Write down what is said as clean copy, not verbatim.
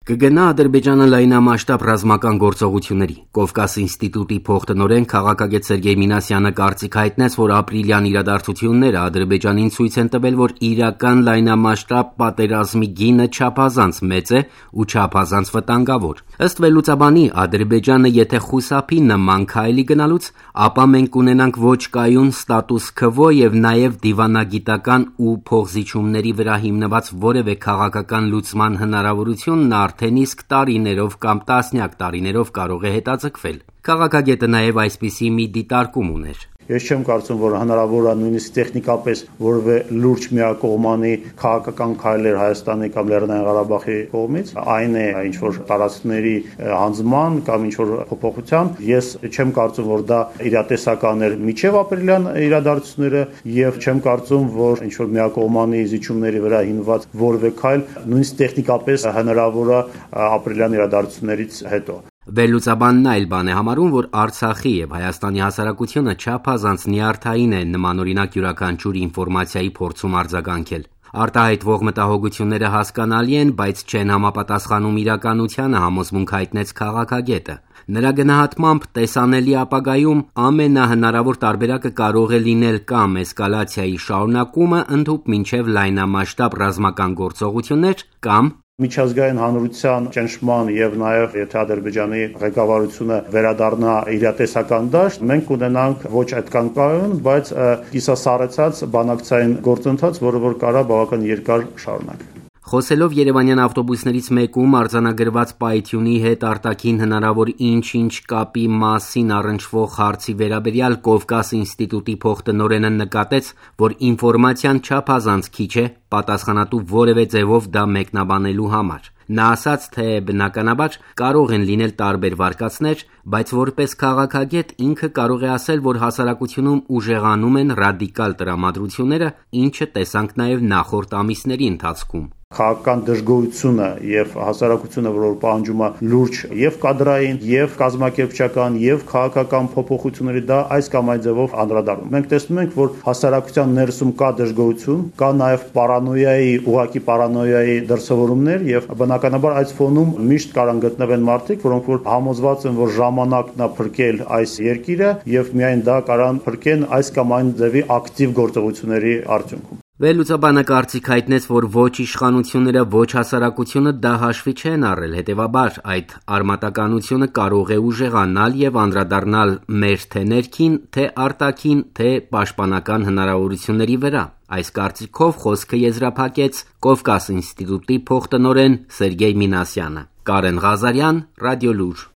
Կգնա Ադրբեջանը լայնամասշտաբ ռազմական գործողությունների։ Կովկաս ինստիտուտի փոխտնօրեն քաղաքագետ Սերգեյ Մինասյանը կարծիք հայտնեց, որ ապրիլյան իրադարձությունները Ադրբեջանին ցույց են տվել, որ իրական լայնամասշտաբ պատերազմի գինը չափազանց մեծ է ու չափազանց վտանգավոր։ Ըստ վերլուծաբանի, Ադրբեջանը եթե խուսափի նման քայլի գնալուց, ապա մենք կունենանք ոչ կայուն ստատուս քվո եւ նաեւ դիվանագիտական ու փոխզիջումների վրա հիմնված որևէ քաղաքական լուծման հնարավորությունն արդեն իսկ տարիներով կամ տասնյակ տարիներով կարող է հետաձգվել։ Քաղաքագետը նաև այսպիսի մի դիտարկում ուներ։ Ես չեմ կարծում, որ հնարավոր է նույնիսկ տեխնիկապես որևէ լուրջ միակողմանի քաղաքական քայլեր Հայաստանի կամ Լեռնային Ղարաբաղի կողմից, այն է ինչ-որ տարածքների հանձնման կամ ինչ-որ փոփոխության։ Ես չեմ կարծում, որ դա իրատեսական էր միջև ապրիլյան իրադարձությունները եւ չեմ կարծում, որ ինչ-որ միակողմանի զիջումների վրա հիմնված որևէ քայլ նույնիսկ տեխնիկապես հնարավոր է ապրիլյան իրադարձություններից հետո։ Վերլուծաբանն այլ բան է համարում, որ Արցախի եւ Հայաստանի հասարակությունը չափազանց նյարդային է նմանօրինակ յուրաքանչյուր ինֆորմացիայի փորձում արձագանքել։ Արտահայտվող մտահոգությունները հասկանալի են, բայց չեն համապատասխանում իրականությանը, համոզմունք հայտնեց քաղաքագետը։ Նրա գնահատմամբ տեսանելի ապագայում ամենահնարավոր տարբերակը կարող է լինել կամ էսկալացիայի շարունակումը ընդհուպ մինչև լայնամասշտաբ ռազմական գործողություններ կամ Միջազգային հանրության ճնշման եւ նաեւ եթե Ադրբեջանի ղեկավարությունը վերադառնա իրատեսական դաշտ, մենք կունենանք ոչ այդքան կայուն, բայց կիսասառեցած բանակցային գործընթաց, որը որ կարա բավական երկար շարունակել։ Խոսելով Երևանյան ավտոբուսներից մեկում արձանագրված պայթյունի հետ արտաքին հնարավոր ինչ-ինչ կապի մասին առնչվող հարցի վերաբերյալ Կովկաս ինստիտուտի փոխտնօրենը նկատեց, որ ինֆորմացիան չափազանց քիչ է պատասխանատու որևէ ձևով դա մեկնաբանելու համար։ Նա ասաց, թե բնականաբար կարող են լինել տարբեր վարկածներ, բայց որպես քաղաքագետ ինքը կարող է ասել, որ հասարակությունում ուժեղանում են ռադիկալ տրամադրությունները, ինչը տեսանք նաև նախորդ ամիսների ընթացքում։ Քաղաքական դժգոհությունը եւ հասարակությունը, որ պահանջում է լուրջ եւ կադրային, եւ կազմակերպչական, եւ քաղաքական փոփոխությունների, դա այս կամ այն ձևով անդրադառնում։ Մենք տեսնում ենք, որ հասարակության ներսում կա դժգոհություն, կա նաեւ պարանոյայի, ուղղակի պարանոյայի դրսևորումներ եւ բնականաբար այս ֆոնում միշտ կարան գտնվեն մարդիկ, որոնք որ համոզված են, որ ժամանակն է փրկել այս երկիրը եւ միայն դա կարան փրկեն այս կամ այն ձևի ակտիվ գործողությունների արդյունքում։ Վերլուծաբանը կարծիք հայտնեց, որ ոչ իշխանությունները, ոչ հասարակությունը դա հաշվի չեն առել, հետևաբար այդ արմատականությունը կարող է ուժեղանալ եւ անդրադառնալ մեր թե ներքին, թե արտաքին, թե պաշտպանական հնարավորությունների վրա։ Այս կարծիքով խոսքը եզրափակեց Կովկաս ինստիտուտի փոխտնօրեն Սերգեյ Մինասյանը։ Կարեն Ղազարյան, Ռադիոլուր։